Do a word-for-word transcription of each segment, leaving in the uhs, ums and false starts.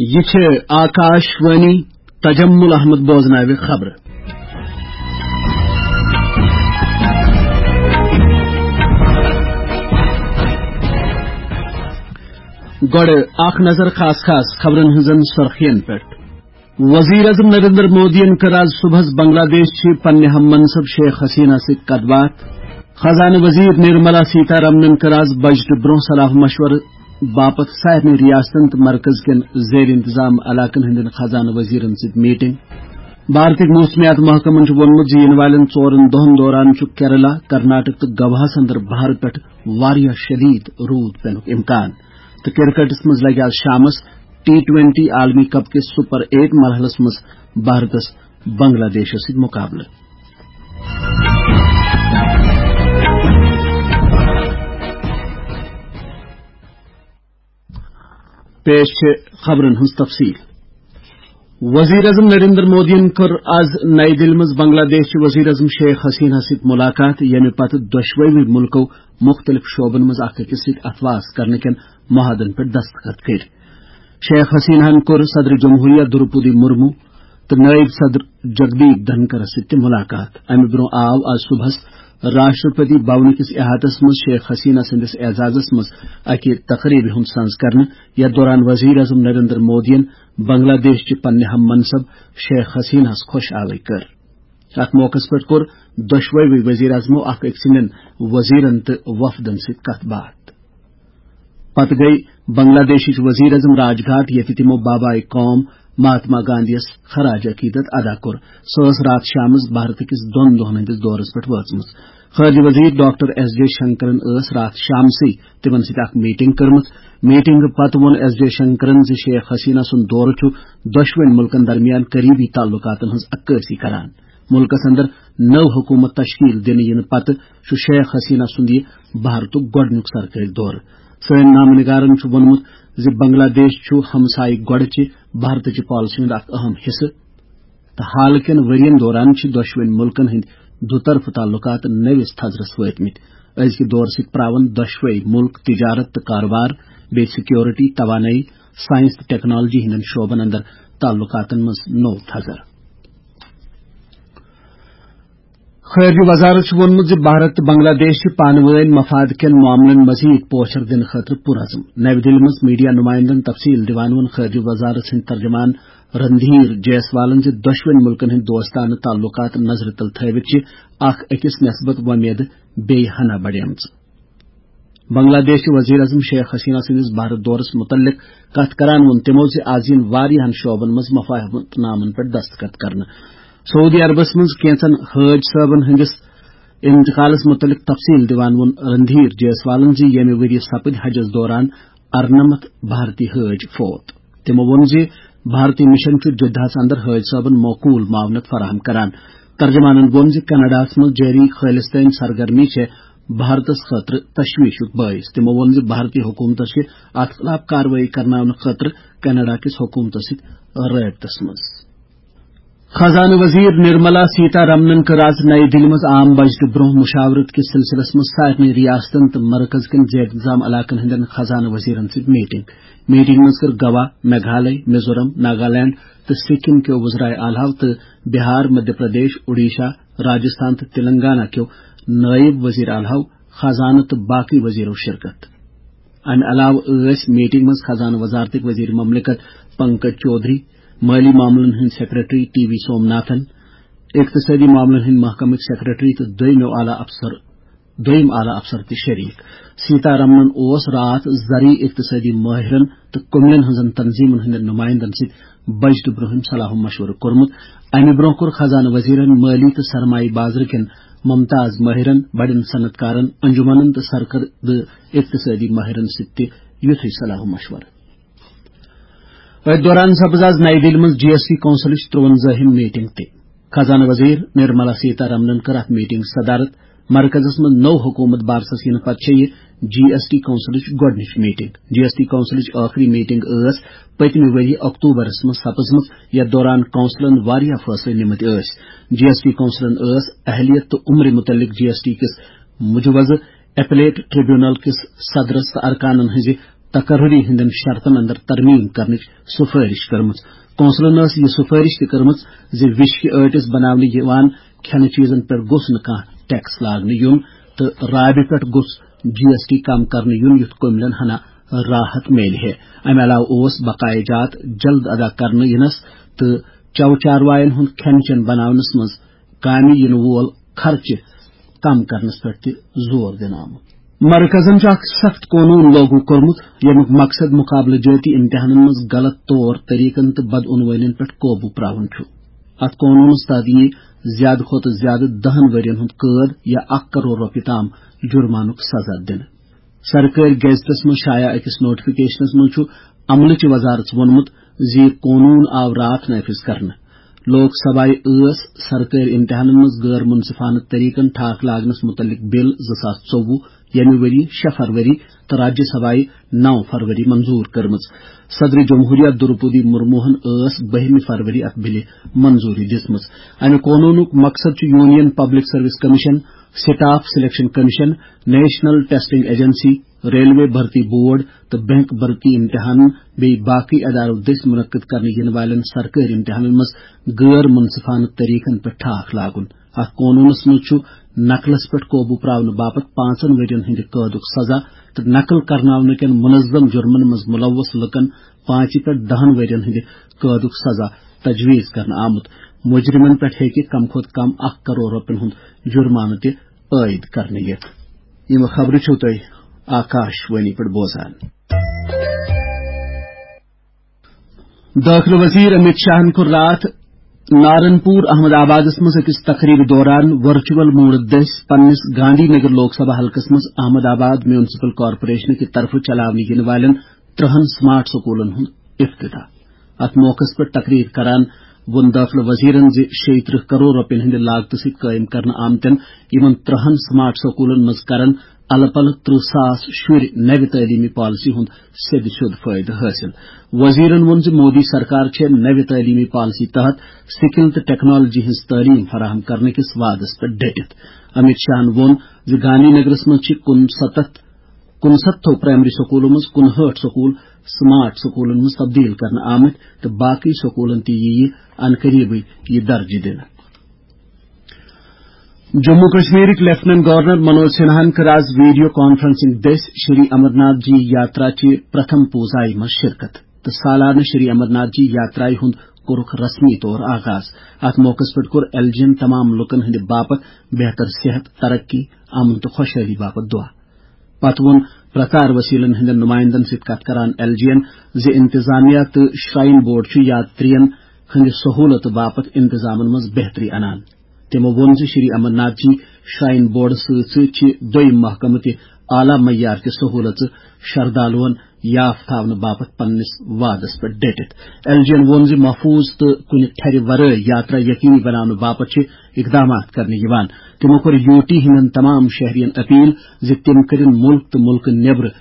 یہِ چھِ آکاش وانی۔ تجمل احمد بوزناوِ خبرٕ۔ گۄڈٕ اکھ نظر خاص خاص خبرن ہٕنٛزن سُرخین پٮ۪ٹھ۔ وزیر اعظم نریندر مودیَن کٔر آز صبحس بنگلہ دیش چہِ پننہِ ہم منصب شیخ حسینہ سۭتۍ کتھ باتھ۔ خزانہٕ وزیر نرملا سیتا رمنن کٔر آز بجٹہٕ برونٛہہ صلاح مشورٕ باپتھ سارنٕے ریاستن تہٕ مرکز کٮ۪ن زیر انتظام علاقن ہٕنٛدٮ۪ن خزانہٕ وزیرن سۭتۍ میٹنگ۔ بھارتٕکۍ موسمیات محکمن چھُ ووٚنمُت زِ یِنہٕ والٮ۪ن ژورن دۄہن دوران چھُ کیرلا، کرناٹک تہٕ گواہس اندر بہارٕ پٮ۪ٹھ واریاہ شدید روٗد پینُک امکان۔ تہٕ کرکٹس منٛز لگہِ آز شامس ٹی ٹوینٹی عالمی کپ کِس سپر ایٹ مرحلس منٛز بھارتس بنگلہ دیشس سۭتۍ مقابلہٕ۔ پیش چھِ خبرن ہٕنٛز تفصیل۔ وزیر اعظم نریندر مودیَن کٔر آز نئی دِلہِ منٛز بنگلہ دیش چہِ وزیر اعظم شیخ حسینہ سۭتۍ ملاقات، ییٚمہِ پتہٕ دۄشوٕے مُلکو مُختٔلِف شعبن منٛز اکھ أکِس سۭتۍ اتھواس کرنہٕ کٮ۪ن معاہدن پٮ۪ٹھ دستخط کٔرۍ۔ شیخ حسینہَن کوٚر صدر جمہوریہ دروپدی مرمو تہٕ نائب صدر جگدیپ دھنکرَس سۭتۍ تہِ ملاقات۔ امہِ برونٛہہ آو آز صبحس راشٹرپتی بھونہٕ کِس احاطس منٛز شیخ حسینہ سٕنٛدِس اعزازس منٛز اکہِ تقریبہِ ہُنٛد سنز کرنہٕ، یتھ دوران وزیر اعظم نریندر مودیَن بنگلہ دیش چہِ پننہِ ہم منصب شیخ حسینہَس خۄش آوٕے کٔر۔ اتھ موقعس پٮ۪ٹھ کوٚر دۄشوٕے وزیر اعظمو اکھ أکۍ سٕنٛدٮ۪ن وزیرن تہٕ وفدن سۭتۍ کتھ باتھ۔ پتہٕ گٔیہِ بنگلہ دیشٕچ وزیر اعظم راج گھاٹ، ییٚتہِ تِمو بابائے قوم مہاتما گاندھیَس خراج عقیدت ادا کوٚر۔ سۄ ٲس راتھ شامس بھارت کِس دۄن دۄہن ہٕنٛدِس دورس پٮ۪ٹھ وٲژمٕژ۔ خارجہ وزیر ڈاکٹر ایس جے شنکرن ٲس راتھ شامسٕے تِمن سۭتۍ اکھ میٹنگ کٔرمٕژ۔ میٹنگ پتہٕ ووٚن ایس جے شنکرن زِ شیخ حسینہ سُنٛد دورٕ چھُ دۄشوٕنی مُلکن درمیان قریبی تعلقاتن ہٕنٛز عکٲسی کران۔ مُلکس اندر نٔو حکومت تشکیل دِنہٕ یِنہٕ پتہٕ چھُ شیخ حسینہ سُنٛد یہِ بھارتُک گۄڈٕنیُک سرکٲرۍ دورٕ۔ سٲنۍ نامہٕ نگارن چھُ ووٚنمُت زِ بنگلہ دیش چھُ ہمسایہِ گۄڈٕ چہِ بھارتٕچہِ پالیسی ہُنٛد اکھ اہم حصہٕ تہٕ حالہٕ کٮ۪ن ؤرین دوران چھِ دۄشوٕنی مُلکن ہٕنٛدۍ دُطرفہٕ تعلقات نٔوِس تھزرس وٲتمٕتۍ۔ أزکہِ دورٕ سۭتۍ پراون دۄشوٕے مُلک تجارت تہٕ کاروبار، بیٚیہِ سیکیورٹی، توانٲیی، سائنس تہٕ ٹیکنالوجی ہٕنٛدٮ۪ن شعبن اندر تعلقاتن منٛز نوٚو تھزر۔ خارجہ وزارت چھُ ووٚنمُت زِ بھارت تہٕ بنگلہ دیش چھِ پانہٕ وٲنۍ مفاد کٮ۪ن معاملن مزید پوچھر دِنہٕ خٲطرٕ پُرعزم۔ نَوِ دِلہِ منٛز میڈیا نُمایندن تفصیل دِوان ووٚن خارجہ وزارت سٕنٛدۍ ترجمان رندھیر جیسوالن زِ دۄشوٕنی مُلکن ہٕنٛدۍ دوستانہٕ تعلقات نظرِ تل تھٲوِتھ چھِ اکھ أکِس نسبت وۄمیدٕ بیٚیہِ ہنا بڑیمژٕ۔ بنگلہ دیش چہِ وزیر اعظم شیخ حسینہ سٕنٛدِس بھارت دورس مُتعلق کتھ کران ووٚن تِمو زِ از یِن واریاہن شعبن منٛز مفاہمت نامن پٮ۪ٹھ دستخط کرنہٕ۔ سعودی عربس منٛز کینژن حٲج صٲبن ہٕنٛدِس انتقالس مُتعلق تفصیل دِوان ووٚن رندھیر جیسوالن زِ ییٚمہِ ؤرۍ یہِ سپٕدۍ حجس دوران ارنمتھ بھارتی حٲج فوت۔ تِمو ووٚن زِ بھارتی مشن چھُ جدہس اندر حٲج صٲبن معقول معاونت فراہم کران۔ ترجمانن ووٚن زِ کینیڈاہس منٛز جٲری خالصتٲنۍ سرگرمی چھےٚ بھارتس خٲطرٕ تشویشُک باعث۔ تِمو ووٚن زِ بھارتی حکومتس چھِ اتھ خلاف کاروٲیی کرناونہٕ خٲطرٕ کینیڈا کِس حکومتس سۭتۍ رٲبطس منٛز۔ خزانہٕ وزیر نرملا سیتا رمنن کٔر آز نئی دِلہِ منٛز عام بجٹہٕ برونٛہہ مشاورت کِس سلسلس منٛز سارنٕے ریاستن تہٕ مرکز کٮ۪ن زیر انتظام علاقن ہٕنٛدٮ۪ن خزانہٕ وزیرن سۭتۍ میٹنگ۔ میٹنگ منٛز کٔر گوا، میگھالے، میزورم، ناگالینڈ تہٕ سکم کیو وزرائے اعلیٰ تہٕ بہار، مدھیہ پردیش، اوڈیشہ، راجستھان تہٕ تلنگانہ کیو نائب وزیر اعلیٰ، خزانہٕ تہٕ باقی وزیرو شرکت۔ امہِ علاوٕ ٲسۍ میٹنگ منٛز خزانہٕ وزارتٕکۍ وزیر مملکت پنکج چودھری، مٲلی معاملن ہٕنٛدۍ سیکرٹری ٹی وی سوم ناتھن، اقتصٲدی معاملن ہٕنٛدۍ محکمٕکۍ سیکرٹری تہٕ دوٚیمو اعلیٰ افسر، دوٚیم اعلیٰ افسر تہِ شریک۔ سیتا رمنن اوس راتھ زرعی اقتصٲدی مٲہرن تہٕ کُملٮ۪ن ہٕنٛزن تنظیمن ہٕنٛدٮ۪ن نمائندن سۭتۍ بجٹہٕ برونٛہم صلاح و مشورٕ کوٚرمُت۔ امہِ برونٛہہ کوٚر خزانہٕ وزیرن مٲلی تہٕ سرمایہ بازرٕ کٮ۪ن ممتاز مٲہرن، بڑٮ۪ن صنعت کارن، انجمنن تہٕ سرکردٕ اقتصٲدی مٲہرن سۭتۍ تہِ یُتھُے صلاح و مشورٕ۔ أتھۍ دوران سپٕز آز نئی دِلہِ منٛز جی ایس ٹی کونسلٕچ ترٛوَنزٲہِم میٹنگ تہِ۔ خزانہٕ وزیر نرملا سیتا رمنن کٔر اتھ میٹنگ صدارت۔ مرکزس منٛز نوٚو حکومت بارسس یِنہٕ پتہٕ چھےٚ یہِ جی ایس ٹی کونسلٕچ گۄڈٕنِچ میٹنگ۔ جی ایس ٹی کونسلٕچ ٲخری میٹنگ ٲس پٔتمہِ ؤرۍ یہِ اکتوبرس منٛز سپٕزمٕژ، یتھ دوران کونسلن واریاہ فٲصلہٕ نِمٕتۍ ٲسۍ۔ جی ایس ٹی کونسلن ٲس اہلیت تہٕ عمرِ مُتعلق جی ایس ٹی کِس مجوزٕ اپلیٹ ٹریبونل کِس صدرس تہٕ ارکانن ہٕنٛزِ تقرری ہٕنٛدٮ۪ن شرطن اندر ترمیم کرنٕچ سفٲرش کٔرمٕژ۔ کونسلن ٲس یہِ سفٲرش تہِ کٔرمٕژ زِ وِشکہِ ٲٹِس بناونہٕ یِوان کھٮ۪نہٕ چیزن پٮ۪ٹھ گوٚژھ نہٕ کانٛہہ ٹیکس لاگنہٕ یُن تہٕ رابہِ پٮ۪ٹھ گوٚژھ GST کم کرنہٕ یُن، یُتھ کٔملٮ۪ن ہنا راحت میلہِ ہے۔ امہِ علاوٕ اوس بقایہِ جات جلد ادا کرنہٕ یِنس تہٕ چو چاروایَن ہُنٛد کھٮ۪ن چٮ۪ن بناونَس منٛز کامہِ یِنہٕ وول خرچہٕ کم کرنَس پٮ۪ٹھ تہِ زور دِنہٕ آمُت۔ مرکزَن چھُ اکھ سخت قونوٗن لاگو کوٚرمُت، ییٚمیُک مقصد مقابلہٕ جٲتی امتحانَن منٛز غلط طور طریقن تہٕ بدعنوٲنین پٮ۪ٹھ قوبوٗ پراوُن چھُ۔ اتھ قونوٗنَس تحت یِیہِ زیادٕ کھۄتہٕ زیادٕ دَہَن ؤرین ہُنٛد قٲد یا اکھ کرور رۄپیہِ تام جُرمانُک سزا دِنہٕ۔ سرکٲرۍ گیزٹس منٛز شایع أکِس نوٹیفکیشنس منٛز چھُ عملٕچہِ وزارژ ووٚنمُت زِ یہِ قونوٗن آو راتھ نافذ کرنہٕ۔ لوک سبھایہِ ٲس سرکٲرۍ امتحانن منٛز غٲر منصفانہٕ طریقن ٹھاکھ لاگنس متعلق بل زٕ ساس ژوٚوُہ، ییٚمہِ ؤری شےٚ فروری، تہٕ راجیہ سبھایہِ نَو فروری منظور کٔرمٕژ۔ صدر جمہوریہ دروپدی مرموہن ٲس بٔہمہِ فروری اتھ بلہِ منظوری دِژمٕژ۔ امہِ قونوٗنُک مقصد چھُ union public service commission, staff selection commission, national testing agency, railway بھرتی بورڈ تہٕ بینک بھرتی امتحانن بیٚیہِ باقٕے ادارو دٔسۍ منعقد کرنہٕ یِنہٕ والٮ۪ن سرکٲرۍ امتحانن منٛز غٲر منصفانہٕ طریقن پٮ۪ٹھ ٹھاکھ لاگُن۔ اتھ قونوٗنس منٛز چھُ نقلس پٮ۪ٹھ قوبوٗ پراونہٕ باپتھ پانٛژن ؤرین ہٕنٛدِ قٲدُک سزا تہٕ نقل کرناونہٕ کٮ۪ن منظم جُرمن منٛز ملوث لُکن پانٛژِ پٮ۪ٹھ دَہَن ؤرین ہٕنٛدِ قٲدُک سزا تجویز کرنہٕ آمُت۔ مجرمن پٮ۪ٹھ ہیٚکہِ کم کھۄتہٕ کم اکھ کرور رۄپین ہُنٛد جُرمانہٕ تہِ عٲید کرنہٕ یِتھ۔ یِم خبرٕ چھِو تُہۍ آکاش وانی پٮ۪ٹھ بوزان۔ دٲخلہٕ وزیر امیت شاہن کوٚر راتھ نارنپور احمد آبادس منٛز أکِس تقریبہِ دوران ورچوئل موڈ دٔسۍ پننِس گاندھی نگر لوک سبھا حلقس منٛز احمد آباد میونسپل کارپوریشن کہِ طرفہٕ چلاونہٕ یِنہٕ والٮ۪ن ترٛہَن سمارٹ سکولن ہُنٛد افتتاح۔ اتھ موقعس پٮ۪ٹھ تقریر کران ووٚن دٲخلہٕ وزیرن زِ شیٚیہِ ترٕٛہ کرور رۄپین ہٕنٛدِ لاگتہٕ سۭتۍ قٲیِم کرنہٕ آمتٮ۪ن یِمن ترٛہَن سمارٹ سکولن منٛز کرن الہٕ پلہٕ ترٕٛہ ساس شُرۍ نوِ تعلیمی پالیسی ہُنٛد سیٚدِ سیوٚد فٲیدٕ حٲصِل۔ وزیرن ووٚن زِ مودی سرکار چھےٚ نوِ تعلیمی پالیسی تحت سکل تہٕ ٹیکنالوجی ہٕنٛز تعلیٖم فراہم کرنہٕ کِس وعدس پٮ۪ٹھ ڈٔٹِتھ۔ امیت شاہن ووٚن زِ گاندھی نگرس منٛز چھِ کُنسَتتھ، کُنسَتتھو پرائمری سکولو منٛز کُنہٲٹھ سکول سمارٹ سکولن منٛز تبدیل کرنہٕ آمٕتۍ تہٕ باقٕے سکولن تہِ یِیہِ عنقریبٕے یہِ درجہٕ دِنہٕ۔ جموں کشمیرٕکۍ لیفٹیننٹ گورنر منوج سنہاہن کٔر آز ویڈیو کانفرنسنگ دٔسۍ شری امرناتھ جی یاترا چہِ پرتھم پوزایہِ منٛز شرکت تہٕ سالانہٕ شری امرناتھ جی یاترایہِ ہُنٛد کوٚرُکھ رسمی طور آغاز۔ اتھ موقعس پٮ۪ٹھ کوٚر ایل جی ین تمام لوٗکن ہٕنٛدِ باپتھ بہتر صحت، ترقی، امن تہٕ خۄشحٲلی باپتھ دعا۔ پتہٕ ووٚن پرچار وسیلن ہٕنٛدٮ۪ن نمائندن سۭتۍ کتھ کران ایل جی ین زِ انتظامیہ تہٕ شرائن بورڈ چھُ یاترین ہٕنٛدِ سہولت باپتھ انتظامن منٛز بہتری انان۔ تِمو ووٚن زِ شری امرناتھ جی شرائن بورڈس سۭتۍ سۭتۍ چھِ دوٚیم محکمہٕ تہِ اعلیٰ معیار کہِ سہولژٕ شردالوَن یاف تھاونہٕ باپتھ پننِس وعدس پٮ۪ٹھ ڈٔٹِتھ۔ ایل جی ین ووٚن زِ محفوظ تہٕ کُنہِ ٹھرِ ورٲے یاترا یقینی بناونہٕ باپتھ چھِ اقدامات کرنہٕ یِوان۔ تِمو کوٚر یو ٹی ہٕنٛدٮ۪ن تمام شہرین اپیل زِ تِم کٔرِن مُلک تہٕ مُلکہٕ نیبرٕ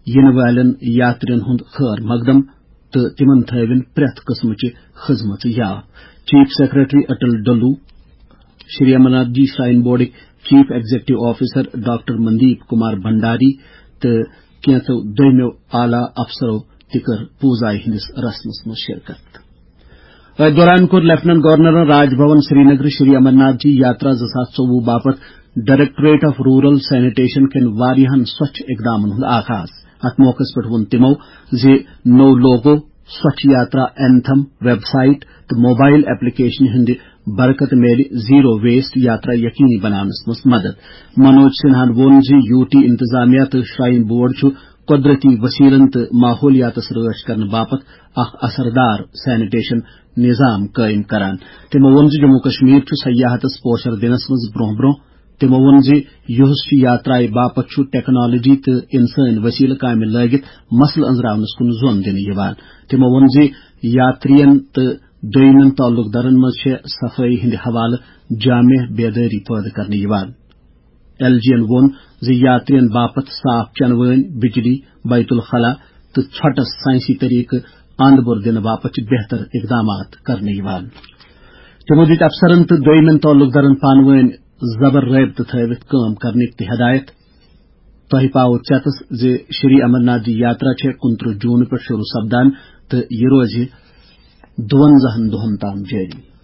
یِنہٕ والٮ۪ن یاترین ہُنٛد خٲر مقدم تہٕ تِمن تھٲوِن پرٛٮ۪تھ قٕسمٕچہِ خدمژٕ یاد۔ Chief secretary Atal Dulloo, Shri Amarnath ji shrine بورڈٕکۍ chief executive officer doctor Mandeep Kumar Bhandari تہٕ کینٛژو دوٚیمٮ۪و اعلیٰ افسرو تہِ کٔر پوزایہِ ہٕنٛدِس رسمس منٛز شرکت۔ أتھۍ دوران کوٚر لیفٹیننٹ گورنرن راج بھون سرینگر شری امرناتھ جی یاترا زٕ ساس ژوٚوُہ باپتھ ڈائریکٹوریٹ آف رورل سینیٹیشن کٮ۪ن واریاہن سۄچھ اقدامن ہُنٛد آغاز۔ اتھ موقعس پٮ۪ٹھ ووٚن تِمو زِ نوٚو لوگو، سۄچھ یاترا اینتھم، ویب سائٹ تہٕ موبائل ایپلیکیشن ہٕنٛدِ برکتہٕ میلہِ زیرو ویسٹ یاترا یقینی بناونس منٛز مدد۔ منوج سنہاہن ووٚن زِ یو ٹی انتظامیہ تہٕ شرائن بورڈ چھُ قۄدرتی وسیلن تہٕ ماحولیاتس رٲچھ کرنہٕ باپتھ اکھ اثردار سینیٹیشن نظام قٲیِم کران۔ تِمو ووٚن زِ جموں کشمیر چھُ سیاحتس پوچھر دِنس منٛز برونٛہہ برونٛہہ۔ تِمو ووٚن زِ یُہُس چھُ یاترایہِ باپتھ چھُ ٹیکنالوجی تہٕ انسٲنۍ وسیلہٕ کامہِ لٲگِتھ مسلہٕ أنٛزراونس کُن زون دِنہٕ یِوان۔ تِمو ووٚن زِ یاترین تہٕ دوٚیمٮ۪ن تعلق دارن منٛز چھےٚ صفٲیی ہٕنٛدِ حوالہٕ جامع بیدٲری پٲدٕ کرنہٕ یِوان۔ ایل جی ین ووٚن زِ یاترین باپتھ صاف چنہٕ وٲنۍ، بجلی، بیت الخلا تہٕ ژھۄٹس سائنسی طریقہٕ اند بور دِنہٕ باپتھ چھِ بہتر اقدامات کرنہٕ یِوان۔ تِمو دِتۍ افسرن تہٕ دوٚیمٮ۪ن تعلق دارن پانہٕ وٲنۍ زبر رٲبطہٕ تھٲوِتھ کٲم کرنٕکۍ تہِ ہدایت۔ تۄہہِ پاوو ژٮ۪تس زِ شری امرناتھ جی یاترا چھےٚ کُنترٕہ جوٗن پٮ۪ٹھ شروع سپدان تہٕ یہِ روزِ دُوَنزاہن دۄہن تام جٲری۔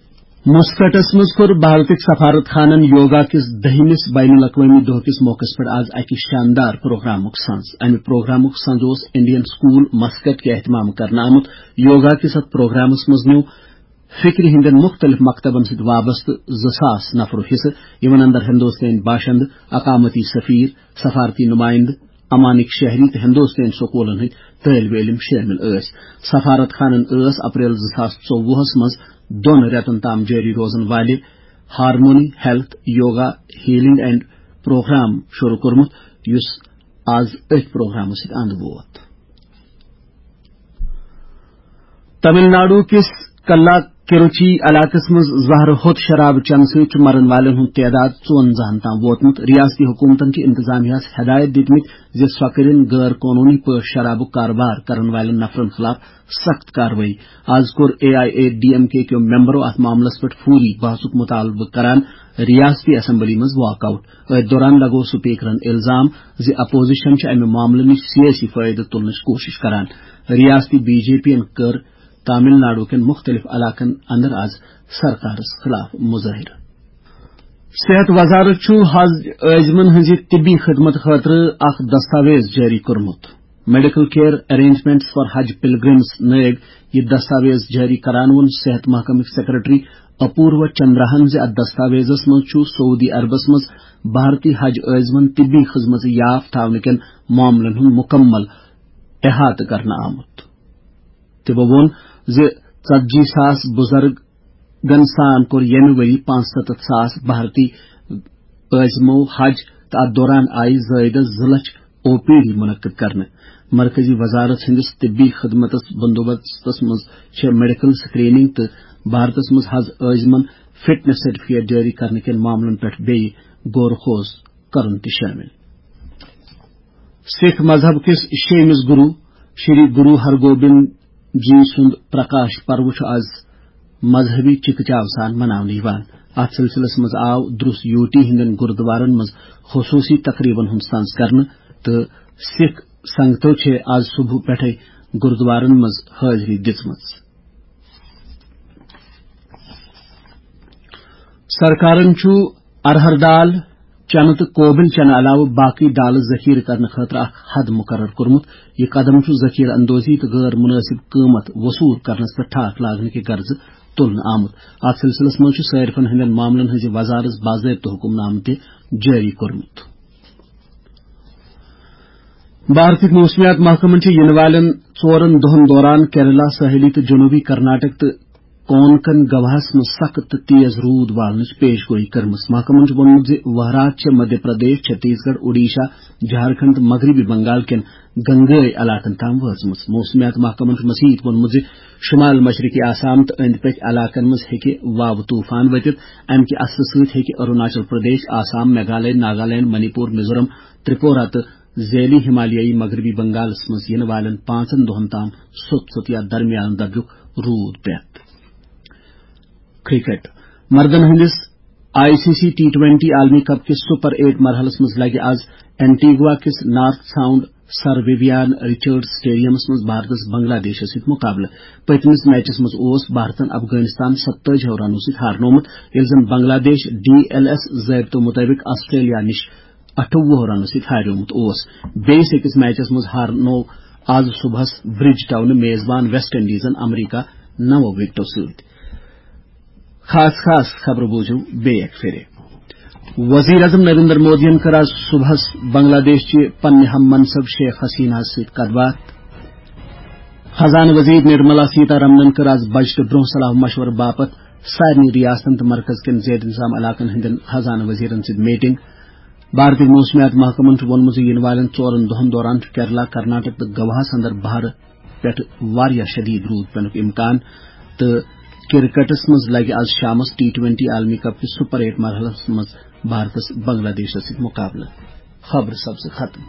مسقطس منٛز کوٚر بھارتٕکۍ سفارت خانن یوگا کِس دٔہمِس بین الاقوٲمی دۄہ کِس موقعس پٮ۪ٹھ آز اکہِ شاندار پروگرامُک سنز۔ امہِ پروگرامُک سنز اوس انڈین سکول مسقط کہِ اہتمام کرنہٕ آمُت۔ یوگا کِس اتھ پروگرامس منٛز نیوٗ فکرِ ہٕنٛدٮ۪ن مُختٔلِف مکتبن سۭتۍ وابستہٕ زٕ ساس نفرو حصہٕ، یِمن اندر ہندوستٲنۍ باشندٕ، اقامتی سفیر، سفارتی نمائندٕ، امانٕکۍ شہری تہٕ ہندوستٲنۍ سکوٗلن ہٕنٛدۍ طٲلبہِ علم شٲمِل ٲسۍ۔ سفارت خانن ٲس اپریل زٕ ساس ژوٚوُہس منٛز دۄن رٮ۪تن تام جٲری روزن والہِ harmony health yoga healing and programme شروع کوٚرمُت، یُس آز أتھۍ پروگرامس سۭتۍ اند ووت۔ تمل ناڈو کِس کلا کروچی علاقس منٛز زہرٕ ہوٚت شراب چنہٕ سۭتۍ چھُ مرن والٮ۪ن ہُنٛد تعداد ژُوَنزاہن تام ووتمُت۔ ریاستی حکومتن چھِ انتظامیہ ہَس ہدایت دِتمٕتۍ زِ سۄ کٔرِن غٲر قونوٗنی پٲٹھۍ شرابُک کاربار کرن والٮ۪ن نفرن خلاف سخت کاروٲیی۔ آز کوٚر A I A D M K کیو ممبرو اتھ معاملس پٮ۪ٹھ فوری بحثُک مطالبہٕ کران ریاستی اسمبلی منٛز واک آؤٹ۔ أتھۍ دوران لگوو سپیکرن الزام زِ اپوزیشن چھِ امہِ معاملہٕ نِش سیٲسی فٲیدٕ تُلنٕچ کوٗشش کران۔ ریاستی بی جے پی ین کٔر تامل ناڈو کٮ۪ن مُختٔلِف علاقن اندر آز سرکارس خلاف مظٲہرٕ۔ صحت وزارت چھُ حج عٲزمن ہٕنٛزِ طبی خدمت خٲطرٕ اکھ دستاویز جٲری کوٚرمُت۔ میڈیکل کیئر ارینجمنٹس فار حج پلگرمز نٲوۍ یہِ دستاویز جٲری کران ووٚن صحت محکمٕکۍ سیکرٹری اپوروا چندراہن زِ اتھ دستاویزس منٛز چھُ سعودی عربس منٛز بھارتی حج عٲزمن طبی خدمژٕ یاف تھاونہٕ کٮ۪ن معاملن ہُنٛد مُکمل احاطہٕ کرنہٕ آمُت۔ تِمو ووٚن زِ ژتجی ساس بُزرگن سان کوٚر ییٚمہِ ؤری پانٛژستتھ ساس بھارتی عٲزمو حج تہٕ اتھ دوران آیہِ زٲیدٕ زٕ لچھ او پی ڈی منعقد کرنہٕ۔ مرکزی وزارت ہٕنٛدِس طبی خدمتس بندوبستس منٛز چھےٚ میڈیکل سکریننگ تہٕ بھارتس منٛز حج عٲزمن فٹنس سرٹیفکیٹ جٲری کرنہٕ کٮ۪ن معاملن پٮ۪ٹھ بیٚیہِ غور و خوض کرُن تہِ شٲمِل۔ سکھ مذہب کِس شیٚیمِس گرو شری گرو ہرگوبند جی سُنٛد پرکاش پرو چھُ آز مذہبی چکہ چاو سان مناونہٕ یِوان۔ اتھ سلسلس منٛز آو دروس یوٹی ہٕنٛدٮ۪ن گردوارن منٛز خصوصی تقریبن ہُنٛد سنز کرنہٕ تہٕ سکھ سنگتو چھےٚ آز صبح پٮ۪ٹھے گردوارن منٛز حٲضری دِژمٕژ۔ سرکارن چھُ ارہر دال چنہٕ تہٕ کوبل چنہٕ علاوٕ باقی دالہٕ ذخیرٕ کرنہٕ خٲطرٕ اکھ حد مقرر کوٚرمُت۔ یہِ قدم چھُ ذخیرٕ اندوزی تہٕ غٲر مناسب قۭمت وصول کرنس پٮ۪ٹھ ٹھاکھ لاگنہٕ کہِ غرضہٕ تُلنہٕ آمُت۔ اتھ سلسلس منٛز چھُ صارفن ہٕنٛدٮ۪ن معاملن ہٕنٛزِ وزارت باضٲبطہٕ حکمنامہٕ تہِ جٲری کوٚرمُت۔ بھارتٕکۍ موسمیات محکمن چھِ یِنہٕ والٮ۪ن ژورن دۄہن دوران کیرلا، ساحلی تہٕ جنوبی کرناٹک تہٕ کونکن گواہس منٛز سخت تہٕ تیز روٗد والنٕچ پیش گویی کٔرمٕژ۔ محکمن چھُ ووٚنمُت زِ وہرات چھےٚ مدھیہ پردیش، چھتیس گڑھ، اوڈیشہ، جھارکھنڈ تہٕ مغربی بنگال کٮ۪ن گنگٲے علاقن تام وٲژمٕژ۔ موسمیات محکمن چھُ مزید ووٚنمُت زِ شمال مشرقی آسام تہٕ أنٛدۍ پٔکۍ علاقن منٛز ہیٚکہِ واوٕ طوفان ؤتِتھ۔ امہِ کہِ اثرٕ سۭتۍ ہیٚکہِ اروناچل پردیش، آسام، میگھالیہ، ناگالینڈ، منی پور، میزورم، ترپورہ تہٕ ذیلی ہمالیائی مغربی بنگالس منٛز یِنہٕ والٮ۪ن پانٛژن دۄہن تام سوٚت سوٚت یا درمیان درجُک روٗد پٮ۪تھ۔ کرکٹ۔ مردن ہٕنٛدِس I C C T twenty عالمی کپ کِس سپر ایٹ مرحلس منٛز لگہِ آز اینٹیگوا کِس north sound sir Vivian Richard سٹیڈیمس منٛز بھارتس بنگلہ دیشس سۭتۍ مقابلہٕ۔ پٔتمِس میچس منٛز اوس بھارتن افغانستان ستٲجی رنو سۭتۍ ہارنومُت، ییٚلہِ زن بنگلہ دیش ڈی ایل ایس ضٲبطو مُطٲبِق آسٹریلیا نِش اَٹھووُہ رنو سۭتۍ ہاریومُت اوس۔ بیٚیِس أکِس میچس منٛز ہارنوو آز صبحس برج ٹاؤنہٕ میزبان ویسٹ انڈیزن امریکہ نَو وِکٹو سۭتۍ۔ خاص خاص خبرٕ بوٗزِو بیٚیہِ اَکہِ پھِرِ۔ وزیر اعظم نریندر مودیَن کٔر آز صبحس بنگلہ دیش چہِ پننہِ ہم منصب شیخ حسینہ ہَس سۭتۍ کَتھ باتھ۔ خزانہٕ وزیر نرملا سیتا رمنَن کٔر آز بجٹہٕ برٛونٛہہ صلاح مشورٕ باپتھ سارنٕے ریاستن تہٕ مرکز کٮ۪ن زیر انتظام علاقن ہٕنٛدٮ۪ن خزانہٕ وزیرن سۭتۍ میٹنگ۔ بھارتی موسمیات محکمن چھُ ووٚنمُت زِ یِنہٕ والٮ۪ن ژورن دۄہن دوران چھُ کیرلا، کرناٹک تہٕ گواہس اندر بہرٕ پٮ۪ٹھ واریاہ شدید روٗد پینُک امکان تہٕ کرکٹس منٛز لگہِ آز شامس ٹی ٹوینٹی عالمی کپ کِس سپر ایٹ مرحلس منٛز بھارتس بنگلہ دیشس سۭتۍ مقابلہٕ۔ خبرٕ سپزٕ ختم۔